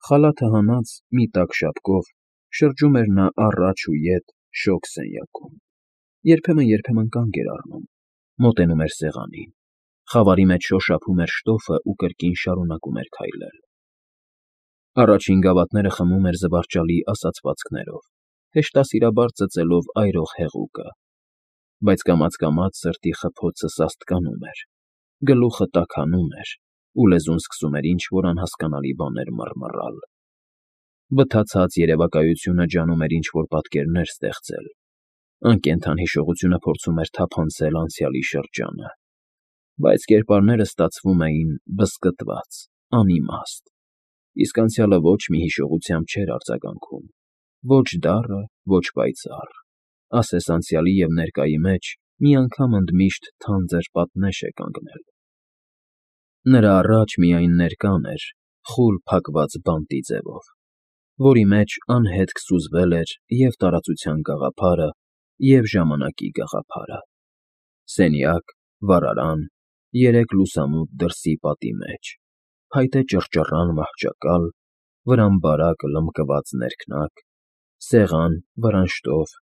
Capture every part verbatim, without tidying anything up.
Խալաթը հանած, մի տաք շապկով շրջում էր նա առաջ ու ետ շոգ սենյակում, երբեմն֊երբեմն կանգ էր առնում, մոտենում էր սեղանին, խավարի մեջ շոշափում էր շտոֆն ու կրկին շարունակում էր քայլել. առաջին գավաթները խմում էր զվարճալի ասացվածքներով, հեշտասիրաբար ծծելով այրող հեղուկը, բայց կամաց֊կամաց սրտի խփոցը սաստկանում էր, գլուխը տաքանում էր ու լեզուն սկսում էր ինչ֊որ անհասկանալի բաներ մռմռալ. վթացած երևակայությունը ջանում էր ինչ֊որ պատկերներ ստեղծել, անկենդան հիշողությունը փորձում էր թափանցել անցյալի շրջանը, բայց կերպարները ստացվում էին բզկտված, անիմաստ, իսկ անցյալը ոչ մի հիշողությամբ չէր արձագանքում, ոչ դառը, ոչ պայծառ, ասես անցյալի և ներկայի մեջ մի անգամ ընդմիշտ թանձր պատնեշ է կանգնել. նրա առաջ միայն ներկան էր խուլ փակված բանտի ձևով, որի մեջ անհետք սուզվել էր և տարածության գաղափարը, և ժամանակի գաղափարը, սենյակ, վառարան, երեք լուսամուտ դրսի պատի մեջ, փայտե ճռճռան մահճակալ, վրան բարակ լմկված ներքնակ, սեղան, վրան շտով,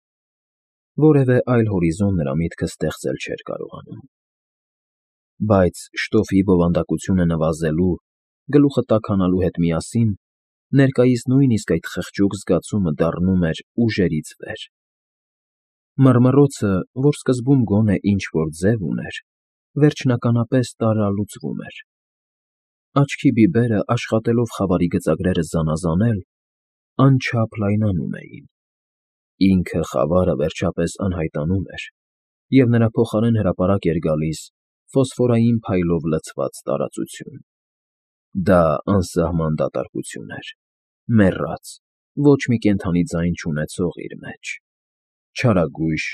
որևէ այլ հորիզոն նրա միտքը ստեղծել չէր կարողանում, բայց շտոֆի բովանդակությունը նվազելու, գլուխը տաքանալու հետ միասին ներկայիս նույնիսկ այդ խղճուկ զգացումը դառնում էր ուժերից վեր. մռմռոցը, որ սկզբում գոնե ինչ֊որ ձև ուներ, վերջնականապես տարրալուծվում էր, աչքի բիբերը աշխատելով խավարի գծագրերը զանազանել, անչափ լայնանում էին, ինքը խավարը վերջապես անհայտանում էր, և նրա փոխարեն հրապարակ էր գալիս ֆոսֆորային փայլով լցված տարածություն, դա անսահման դատարկություն էր, մեռած, ոչ մի կենդանի ձայն չունեցող իր մեջ, չարագույժ,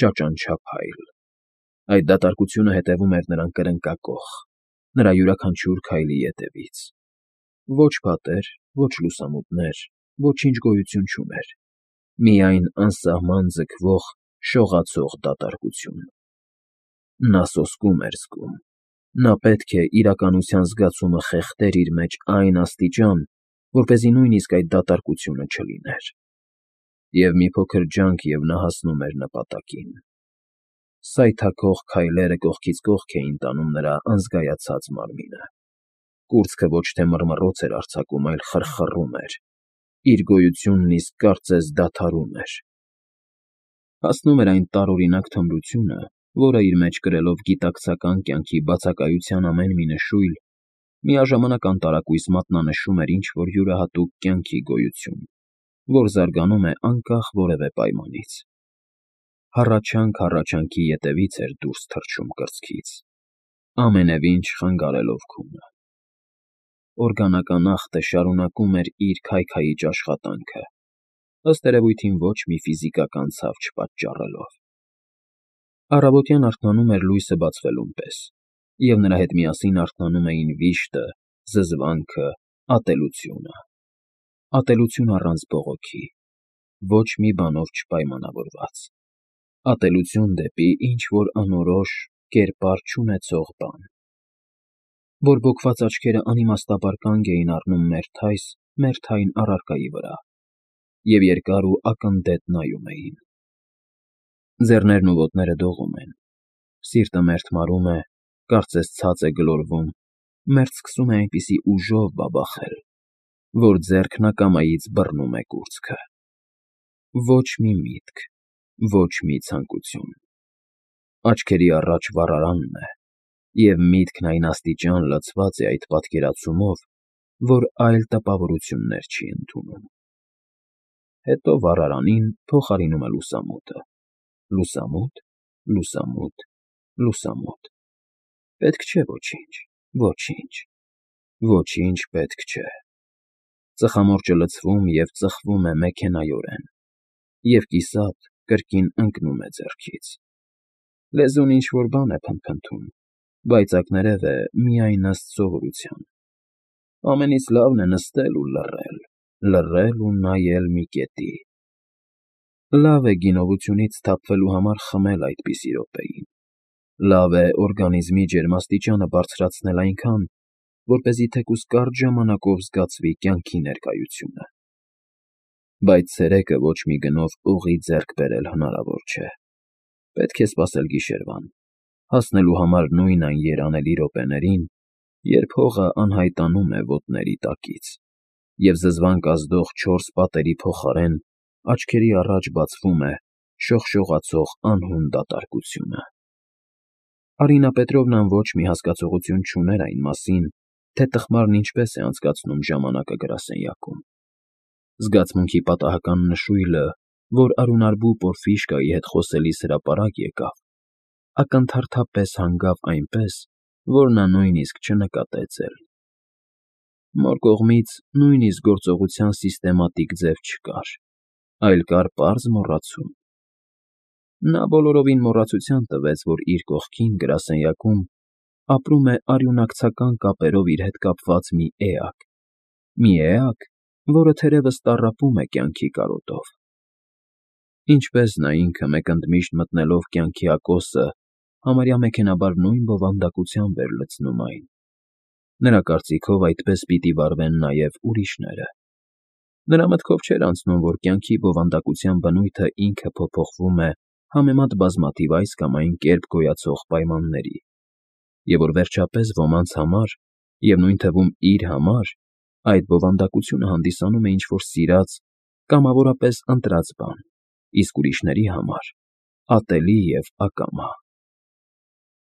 ճաճանչափայլ, այդ դատարկությունը հետևում էր նրան կրնկակոխ, նրա յուրաքանչյուր քայլի ետևից, ոչ պատեր, ոչ լուսամուտներ, ոչինչ գոյություն չուներ, միայն անսահման ձգվող, շողացող դատարկություն. նա սոսկում էր զգում, նա պետք է իրականության զգացումը խեղդեր իր մեջ այն աստիճան, որպեսզի նույնիսկ այդ դատարկությունը չլիներ, և մի փոքր ջանք և նա հասնում էր նպատակին, սայթաքող քայլերը կողքից կողք էին տանում նրա անզգայացած մարմինը, կուրծքը ոչ թե մռմռոց էր արձակում, այլ խռխռում էր, իր գոյությունն իսկ կարծես դադարում էր, հասնում էր այն տարօրինակ թմրությունը, որը իր մեջ կրելով գիտակցական կյանքի բացակայության ամեն մի նշույլ, միաժամանակ անտարակույս մատնանշում էր ինչ֊որ յուրահատուկ կյանքի գոյություն, որ զարգանում է անկախ որևէ պայմանից, հառաչանք հառաչանքի ետևից էր դուրս թռչում կրծքից, ամենևին չխանգարելով քունը, օրգանական ախտը շարունակում էր իր քայքայիչ աշխատանքը, ըստ երևույթին ոչ մի ֆիզիկական ցավ չպատճառելով, առավոտյան արթնանում էր լույսը բացվելուն պես, և նրա հետ միասին արթնանում էին վիշտը, զզվանքը, ատելությունը, ատելություն առանց բողոքի, ոչ մի բանով չպայմանավորված, ատելություն դեպի ինչ֊որ անորոշ, կերպար չունեցող բան, որ բոկված աչքերը անիմաստաբար կանգ էին առնում մերթ այս, մերթ այն առարկայի վրա, և երկար ու ակննդետ նայում էին, ձեռներն ու ոտները դողում են, սիրտը մերթ մարում է, կարծես ցած է գլորվում, մերթ սկսում է այնպիսի ուժով բաբախել, որ ձեռքն ակամայից բռնում է կուրծքը, ոչ մի միտք, ոչ մի ցանկություն, աչքերի առաջ վառարանն է, և միտքն այն աստիճան լցված է այդ պատկերացումով, որ այլ տպավորություններ չի ընդունում, հետո վառարանին փոխարինում է լուսամուտը, լուսամուտ, լուսամուտ, լուսամուտ, պետք չէ ոչինչ, ոչինչ, ոչինչ պետք չէ, ծխամորճը լցվում և ծխվում է մեքենայորեն, և կիսատ կրկին ընկնում է ձեռքից, լեզուն ինչ֊որ բան է փնթփնթում, բայց ակներև է միայն ըստ սովորության, ամենից լավն է նստել ու լռել, լռել ու նայել մի կետի, լավ է գինովությունից սթափվելու համար խմել այդպիսի րոպեին, լավ է օրգանիզմի ջերմաստիճանը բարձրացնել այնքան, որպեսզի թեկուզ կարճ ժամանակով զգացվի կյանքի ներկայությունը։ Բայց ցերեկը ոչ մի գնով ուղի ձեռք բերել հնարավոր չէ։ Պետք է սպասել գիշերվան, հասնելու համար նույն այն երանելի րոպեներին, երբ հողը անհայտանում է ոտների տակից, և զզվանք ազդող չորս պատերի փոխարեն աչքերի առաջ բացվում է շողշողացող անհուն դատարկությունը։ Արինա Պետրովնան ոչ մի հասկացողություն չուներ այն մասին, թե տխմարն ինչպես է անցկացնում ժամանակը գրասենյակում։ Զգացմունքի պատահական նշույլը, որ արյունարբու Պորֆիշկայի հետ խոսելիս հրապարակ եկավ, ակնթարթապես հանգավ այնպես, որ նա նույնիսկ չնկատեց էլ։ Մոր կողմից նույնիսկ գործողության սիստեմատիկ ձև չկար, այլ կար պարզ մոռացում։ Նա բոլորովին մոռացության տվեց, որ իր կողքին, գրասենյակում, ապրում է արյունակցական կապերով իր հետ կապված մի էակ, մի էակ, որը թերևս տառապում է կյանքի կարոտով։ Ինչպես նա ինքը մեկ ընդմիշտ մտնելով կյանքի ակոսը համարյա մեքենայաբար նույն բովանդակությամբ էր լցնում այն։ Նրա կարծիքով այդպես պիտի վարվեն նաև ուրիշները։ Նրա մտքով չէր անցնում, որ կյանքի բովանդակության բնույթը ինքը փոփոխվում է համեմատ բազմաթիվ այս կամ այն կերպ գոյացող պայմանների, և որ վերջապես ոմանց համար, և նույն թվում իր համար, այդ բովանդակությունը հանդիսանում է ինչ֊որ սիրած, կամավորապես ընտրած բան, իսկ ուրիշների համար՝ ատելի և ակամա։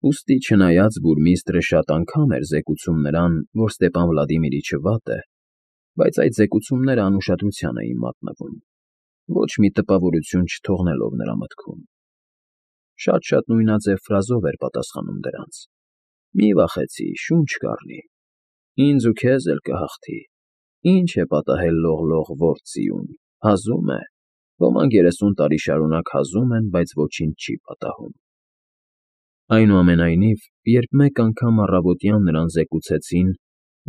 Ուստի չնայած բուրմիստրը շատ անգամ էր զեկուցում նրան, որ Ստեպան Վլադիմիրիչը վատ է, բայց այդ զեկուցումները անուշադրության էին մատնվում, ոչ մի տպավորություն չթողնելով նրա մտքում։ Շատ֊շատ նույնաձև ֆրազով էր պատասխանում դրանց. «Մի վախեցի, շունչ կառնի, ինձ ու քեզ էլ կհաղթի, ինչ է պատահել լող֊լող ործ֊ձիուն, հազում է, ոմանք երեսուն տարի շարունակ հազում են, բայց ոչինչ չի պատահում»։ Այնուամենայնիվ, երբ մեկ անգամ առավոտյան նրան զեկուցեցին,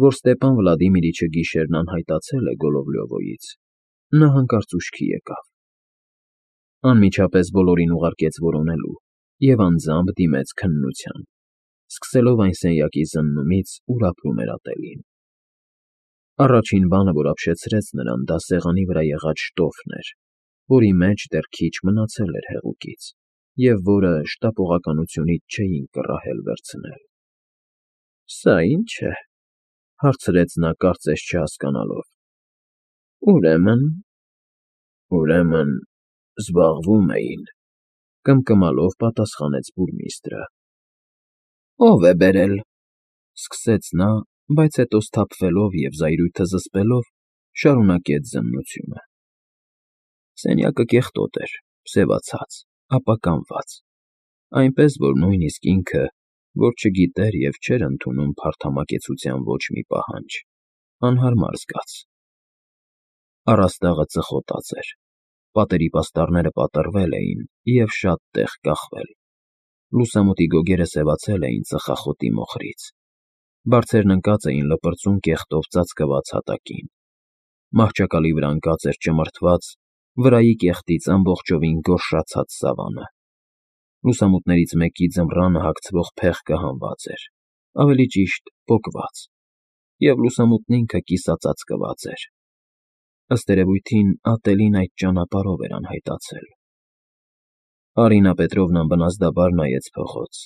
որ Ստեպան Վլադիմիրիչը գիշերն անհայտացել է Գոլովլյովոյից, նա հանկարծ ուշքի եկավ։ Անմիջապես բոլորին ուղարկեց որոնելու և անձամբ դիմեց քննության, սկսելով այն սենյակի զննումից, ուր ապրում էր ատելին։ Առաջին բանը, որ ապշեցրեց նրան, դա սեղանի վրա եղած շտոֆն էր, որի մեջ դեռ քիչ մնացել էր հեղուկից, և որը շտապողականությունից չէին կռահել վերցնել։ «Սա ի՞նչ է,֊ հարցրեց նա, կարծես չհասկանալով։ Ուրեմն… ուրեմն զբաղվում էին,֊ կմկմալով պատասխանեց բուրմիստրը։ Ո՞վ է բերել,֊ սկսեց նա, բայց հետո սթափվելով և զայրույթը զսպելով, շարունակեց զննությունը։ Սենյակը կեղտոտ էր, սևացած, ապականված, այնպես, որ նույնիսկ ինքը, որ չգիտեր և չէր ընդունում փարթամակեցության ոչ մի պահանջ, անհարմար զգաց։ Առաստաղը ծխոտած էր, պատերի պաստառները պատռվել էին և շատ տեղ կախվել, լուսամուտի գոգերը սևացել էին ծխախոտի մոխրից, բարձերն ընկած էին լպրծուն կեղտով ծածկված հատակին, մահճակալի վրա ընկած էր ճմրթված, վրայի կեղտից ամբողջովին գորշացած սավանը, լուսամուտներից մեկի ձմռանը հագցվող փեղկը հանված էր, ավելի ճիշտ՝ պոկված, և լուսամուտն ինքը կիսածածկված էր։ Ըստ երևույթին, ատելին այդ ճանապարհով էր անհայտացել։ Արինա Պետրովնան բնազդաբար նայեց փողոց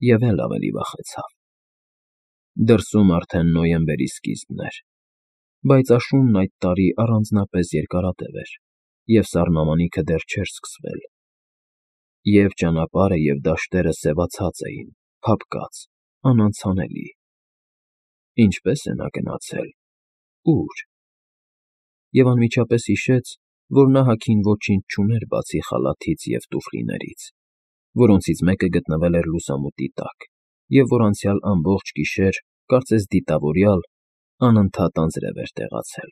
և էլ ավելի վախեցավ։ Դրսում արդեն նոյեմբերի սկիզբն էր, բայց աշունն այդ տարի առանձնապես երկարատև էր, և սառնամանիքը դեռ չէր սկսվել։ Եվ ճանապարհը, և դաշտերը սևացած էին, փափկած, անանցանելի։ Ինչպե՞ս է նա գնացել, ո՞ւր։ Եվ անմիջապես հիշեց, որ նա հագին ոչինչ չուներ բացի խալաթից և տուֆլիներից, որոնցից մեկը գտնվել էր լուսամուտի տակ, և որ անցյալ ամբողջ գիշեր, կարծես դիտավորյալ, անընդհատ անձրև էր տեղացել։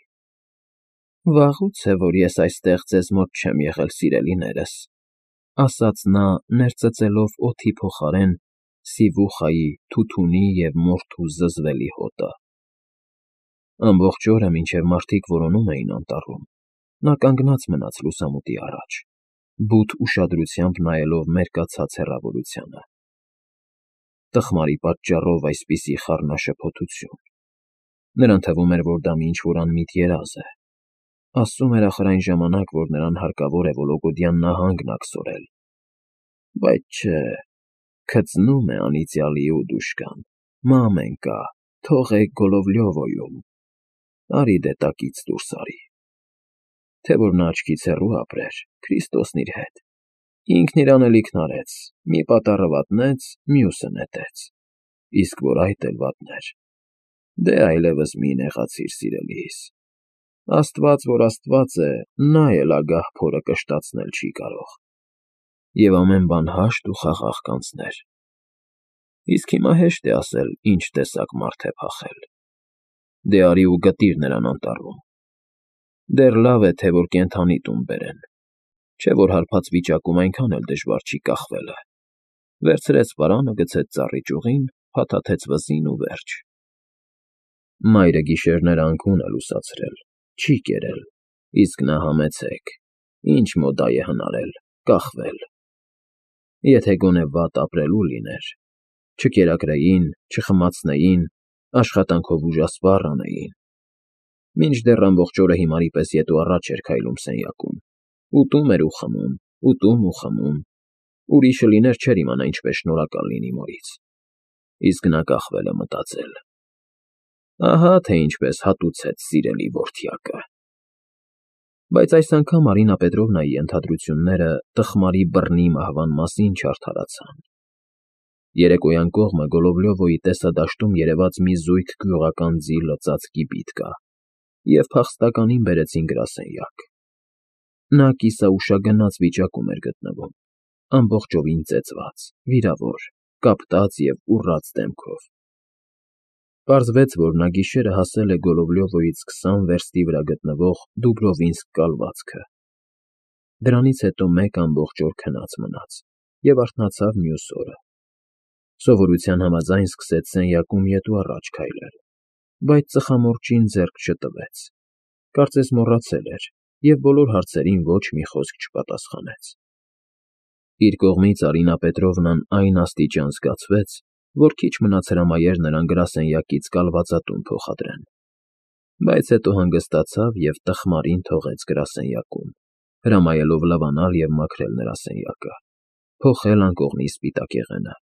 Վաղուց է, որ ես այստեղ ձեզ մոտ չեմ եղել, սիրելիներս,֊ ասաց նա, ներծծելով օդի փոխարեն սիվուխայի, թութունի և մորթու զզվելի հոտը։ Ամբողջ օրը, մինչև մարդիկ որոնում էին անտառում, նա կանգնած մնաց լուսամուտի առաջ, բութ ուշադրությամբ նայելով մերկացած հեռավորությանը։ Տխմարի պատճառով այսպիսի խառնաշփոթություն, Նրան թվում էր, որ դա մի ինչ-որ անմիտ երազ է։ Ասում էր ախր այն ժամանակ, որ նրան հարկավոր է Վոլոգոդյան նահանգն աքսորել։ Բայց չէ, քծնում է անիծյալի ուդուշկան, մամենկա, թողեք Գոլովլյովոյում, արի դե տակից դուրս արի։ Թե որ նա աչքից հեռու ապրեր, Քրիստոսն իր հետ, ինքն իր անելիքն արեց, մի պատառը վատնեց, մյուսը նետեց, իսկ որ այդ էլ վատներ, դե այլևս մի նեղացիր սիրելիս, Աստված, որ Աստված է, նա էլ ագահ փորը կշտացնել չի կարող, և ամեն բան հաշտ ու խաղաղ կանցներ։ Իսկ հիմա հեշտ է ասել, ինչ տեսակ մարդ է փախել։ Դե արի ու գտիր նրան անտառում։ Դեռ լավ է, թե որ կենդանի տուն բերեն, չէ որ հարբած վիճակում այնքան էլ դժվար չի կախվելը։ Վերցրեց պարանը, գցեց ծառի ճյուղին, փաթաթեց վզին ու վերջ։ Մայրը գիշերները անքուն է լուսացրել, չի կերել, իսկ նա համեցեք, ինչ մոդայ է հնարել, կախվել։ Եթե գոնե վատ ապրելու լիներ, չկերակրեին, չխմացնեին, աշխատանքով ուժասպառ անեին։ Մինչդեռ ամբողջ օրը հիմարի պես ետ ու առաջ էր քայլում սենյակում, ուտում էր ու խմում, ուտում ու խմում, ուրիշը լիներ չէր իմանա ինչպես շնորհակալ լինի մորից։ Իսկ նա կախվել է մտածել. ահա թե ինչպես հատուցեց սիրելի որդյակը։ Բայց այս անգամ Արինա Պետրովնայի ենթադրությունները տխմարի բռնի մահվան մասին չարդարացան։ Երեկոյան կողմը Գոլովլյովոյի տեսադաշտում երևաց մի զույգ գյուղական ձի լծած կիպիտ կա, և փախստականին բերեցին գրասենյակ։ Նա կիսաուշագնաց վիճակում էր գտնվում, ամբողջովին ծեծված, վիրավոր, կապտած և ուռած դեմքով։ Պարզվեց, որ նա գիշերը հասել է Գոլովլյովոյից քսան վերստի վրա գտնվող Դուբրովինսկ կալվածքը։ Դրանից հետո մեկ ամբողջ օր քնած մնաց և արթնացավ մյուս օրը։ Սովորության համաձայն սկսեց սենյակում ետ ու առաջ քայլել, բայց ծխամորճին ձեռք չտվեց, կարծես մոռացել էր և բոլոր հարցերին ոչ մի խոսք չպատասխանեց։ Իր կողմից Արինա Պետրովնան այն աստիճան զգացվեց, որ քիչ մնաց հրամայեր նրան գրասենյակից կալվածատուն փոխադրեն, բայց հետո հանգստացավ և տխմարին թողեց գրասենյակում, հրամայելով լավանալ և մաքրել նրա սենյակը, փոխել անկողնի սպիտակեղենը,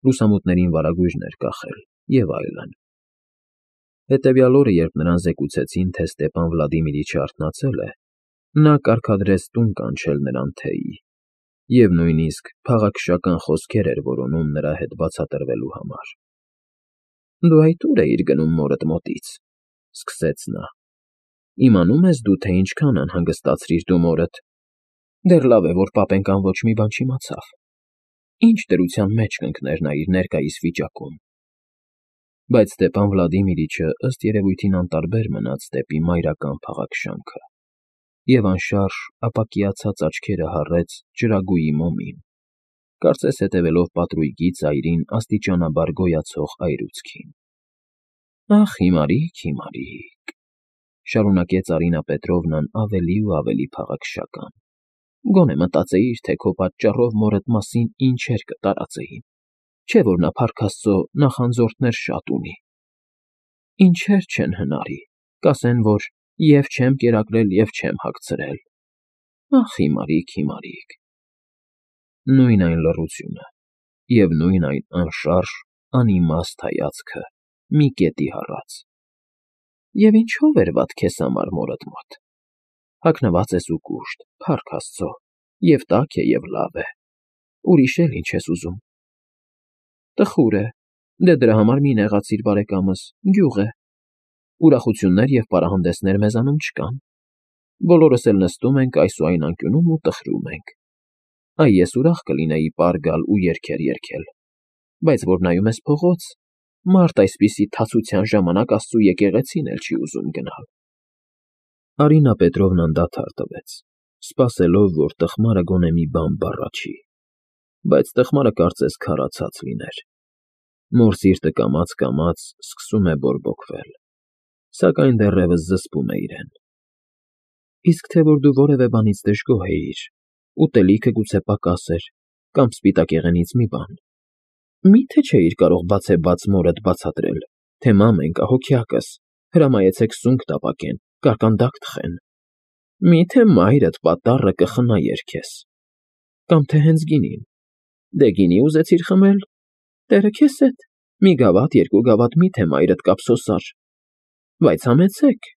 լուսամուտներին վարագույրներ կախել և այլն։ Հետևյալ օրը, երբ նրան զեկուցեցին, թե Ստեպան Վլադիմիրիչը արթնացել է, նա կարգադրեց տուն կանչել նրան թեյի և նույնիսկ փաղաքշական խոսքեր էր որոնում նրա հետ բացատրվելու համար։ «Դու այդ ուր էիր գնում մորդ մոտից», ֊ սկսեց նա։ «Իմանում ես դու, թե ինչքան անհանգստացրիր դու մորդ։ Դեռ լավ է, որ պապենկան ոչ մի բան չիմացավ։ Ինչ դրության մեջ կընկներ նա իր ներկայիս վիճակում»։ Բայց Ստեպան Վլադիմիրիչը ըստ երևույթին անտարբեր մնաց դեպի մայրական փաղաքշանքը և անշարժ ապակիացած աչքերը հառեց ճրագույի մոմին, կարծես հետևելով պատրույգի ծայրին աստիճանաբար գոյացող այրուցքին։ «Ախ, հիմարիկ, հիմարիկ», ֊ շարունակեց Արինա Պետրովնան ավելի ու ավելի փաղաքշական, «գոնե մտածեիր, թե քո պատճառով մորդ մասին ինչեր կտարածեին, չէ՞ որ նա, փառք Աստծո, նախանձորդներ շատ ունի։ Ինչեր չեն հնարի, կասեն, որ և չեմ կերակրել, և չեմ հագցրել։ Ախ, հիմարիկ, հիմարիկ»։ Նույն այն լռությունը և նույն այն անշարժ, անիմաստ հայացքը մի կետի հառած։ «Եվ ինչո՞վ էր վատ քեզ համար մորդ մոտ։ Հագնված ես ու կուշտ, փառք Աստծո, և տաք է, և լավ է, ուրիշ էլ ինչ ես ուզում։ Տխուր է, դե դրա համար մի նեղացիր, բարեկամս, գյուղ է։ Ուրախություններ և պարահանդեսներ մեզանում չկան։ Բոլորս էլ նստում ենք այս ու այն անկյունում ու տխրում ենք։ Այ ես ուրախ կլինեի պար գալ ու երգեր երգել, բայց որ նայում ես փողոց, մարդ այսպիսի թացության ժամանակ Աստծու եկեղեցին էլ չի ուզում գնալ։ Արինա Պետրովնան դադար տվեց, սպասելով, որ տխմարը գոնե մի բան բառաչի, բայց տխմարը կարծես քարացած լիներ։ Մոր սիրտը կամաց֊կամաց սկսում է բորբոքվել, սակայն դեռևս զսպում է իրեն։ «Իսկ թե որ դու որևէ բանից դժգոհ էիր, ուտելիքը գուցե պակաս էր, կամ սպիտակեղենից մի բան, մի՞թե չէիր կարող բացեբաց մորդ բացատրել, թե մամենկա, հոգյակս, Հրամայեցեք սունկ տապակեն, կարկանդակ թխեն։ Մի՞թե մայրդ պատառը կխնայեր քեզ։ Կամ թե հենց գինին։ Դե գինի ուզեցիր խմել, տերը քեզ հետ, մի գավաթ, երկու գավաթ մի՞թե մայրդ կափսոսար։ Բայց համեցեք,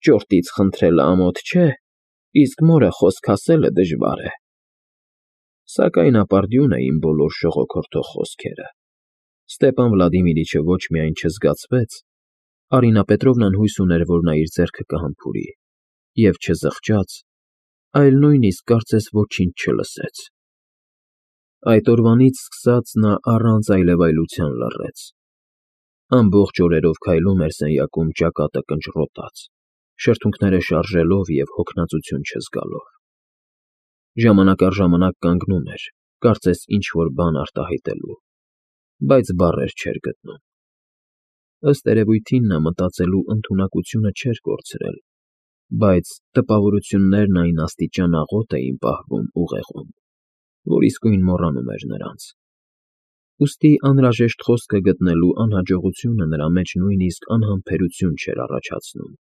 ճորտից խնդրելը ամոթ չէ, իսկ մորը խոսք ասելը դժվար է։ Սակայն ապարդյուն էին բոլոր շողոքորթող խոսքերը։ Ստեպան Վլադիմիրիչը ոչ միայն չզգացվեց, Արինա Պետրովնան հույս ուներ, որ նա իր ձեռքը կհամբուրի, և չզղջաց, այլ նույնիսկ կարծես ոչինչ չլսեց։ Այդ օրվանից սկսած նա առանց այլևայլության լռեց։ Ամբողջ օրերով քայլում էր սենյակում ճակատը կնճռոտած, շրթունքները շարժելով և հոգնածություն չզգալով։ Ժամանակ առ ժամանակ կանգնում էր, կարծես ինչ֊որ բան արտահայտելու, բայց բառեր չէր գտնում։ Ըստ երևույթին նա մտածելու ընդունակությունը չէր կորցրել, բայց տպավորություններն այն աստիճան աղոտ էին պահվում ուղեղում, որ իսկույն մոռանում էր նրանց։ Ուստի անհրաժեշտ խոսքը գտնելու անհաջողությունը նրա մեջ նույնիսկ անհամբերություն չէր առաջացնում։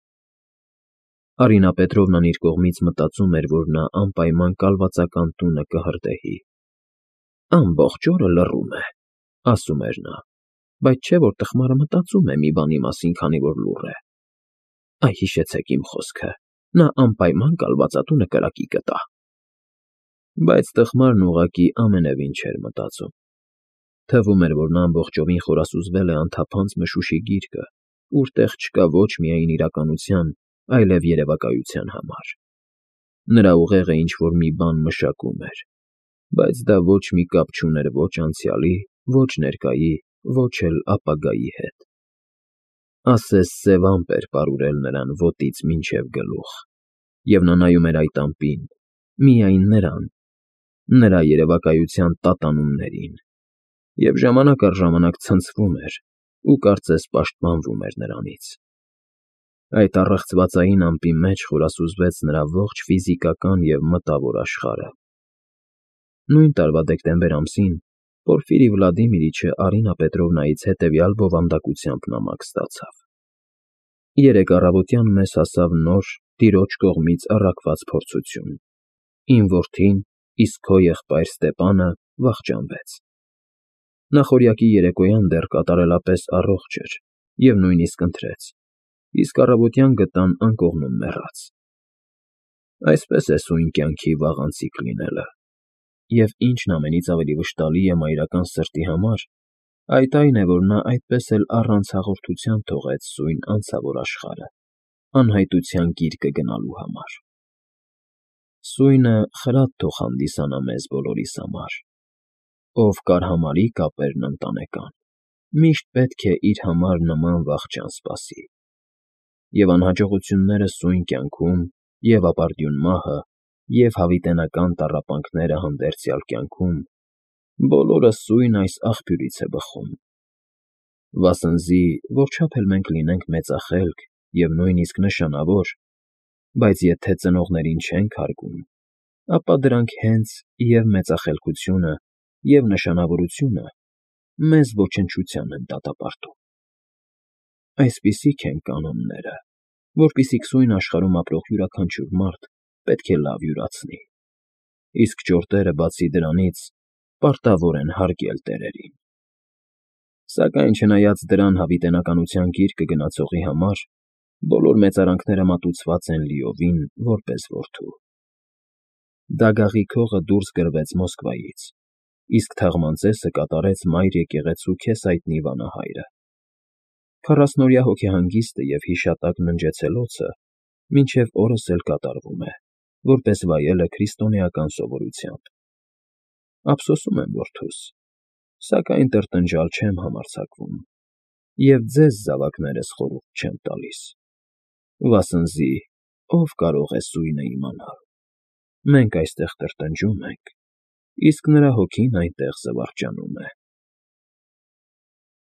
Արինա Պետրովնան իր կողմից մտածում էր, որ նա անպայման կալվածական տունը կհրդեհի։ «Ամբողջ օրը լռում է», ասում էր նա, բայց չէ՞ որ տխմարը մտածում է մի բանի մասին, քանի որ լուռ է։ Այ հիշեցեք իմ խոսքը, նա անպայման կալվածատունը կրակի կտա։ Բայց տխմարն ուղղակի ամենևին չէր մտածում։ Թվում էր, որ նա ամբողջովին խորասուզվել է անթափանց մշուշի գիրկը, ուր տեղ չկա ոչ միայն իրականության, այլև երևակայության համար։ Նրա ուղեղը ինչ֊որ մի բան մշակում էր, բայց դա ոչ մի կապ չուներ ոչ անցյալի, ոչ ներկայի, ոչ էլ ապագայի հետ։ Ասես սև ամպ էր պարուրել նրան ոտից մինչև գլուխ, և նա նայում էր այդ ամպին, միայն նրան, նրա երևակայության տատանումներին, և ժամանակ առ ժամանակ ցնցվում էր ու կարծես պաշտպանվում էր նրանից։ Այդ առեղծվածային ամպի մեջ խորասուզվեց նրա ողջ ֆիզիկական և մտավոր աշխարհը։ Նույն տարվա դեկտեմբեր ամսին Պորֆիրի Վլադիմիրիչը Արինա Պետրովնայից հետևյալ բովանդակությամբ նամակ ստացավ. Երեկ առավոտյան մեզ հասավ նոր, տիրոջ կողմից առաքված փորձություն. Իմ որդին, իսկ քո եղբայր Ստեպանը վախճանվեց։ Նախօրյակի երեկոյան դեռ կատարելապես առողջ էր և նույնիսկ ընթրեց, իսկ առավոտյան գտան անկողնում մեռած։ Այսպես է սույն կյանքի վաղ անցիկ լինելը, և ինչն ամենից ավելի վշտալի է մայրական սրտի համար, այդ այն է, որ նա այդպես էլ առանց հաղորդության թողեց սույն անցավոր աշխարհը, անհայտության գիրկը գնալու համար։ Սույնը խրատ թող հանդիսանա մեզ բոլորիս համար։ Ով կարհամարի կապերն ընտանեկան, միշտ պետք է իր համար նման վախճան սպասի։ Եվ անհաջողությունները սույն կյանքում, և ապարդյուն մահը, և հավիտենական տառապանքները հանդերձյալ կյանքում, բոլորը սույն այս աղբյուրից է բխում։ Վասնզի, որչափ էլ մենք լինենք մեծախելք և նույնիսկ նշանավոր, բայց եթե ծնողներին չենք հարգում, ապա դրանք հենց և՛ մեծախելքությունը, և՛ նշանավորությունը մեզ ոչնչության են դատապարտում։ Այսպիսիք են կանոնները, որպիսիք սույն աշխարհում ապրող յուրաքանչյուր մարդ պետք է լավ յուրացնի, իսկ ճորտերը, բացի դրանից, պարտավոր են հարգել տերերին։ Սակայն չնայած դրան հավիտենականության գիրկը գնացողի համար բոլոր մեծարանքները մատուցված են լիովին որպես որդու։ Դագաղի քողը դուրս գրվեց Մոսկվայից, իսկ թաղամասերը կատարեց մայր եկեղեցու քեզ հայտնի վանահայրը։ Քառասնօրյա հոգեհանգիստը և հիշատակ ննջեցելոցը մինչև օրս էլ կատարվում է, որպես վայելը քրիստոնեական սովորությամբ։ Ափսոսում եմ որդուս, սակայն տրտնջալ չեմ համարձակվում և ձեզ, զավակներս, խորհուրդ չեմ տալիս, վասնզի ո՞վ կարող է սույնը իմանալ։ Մենք այստեղ տրտնջում ենք, իսկ նրա հոգին այնտեղ զվարճանում է։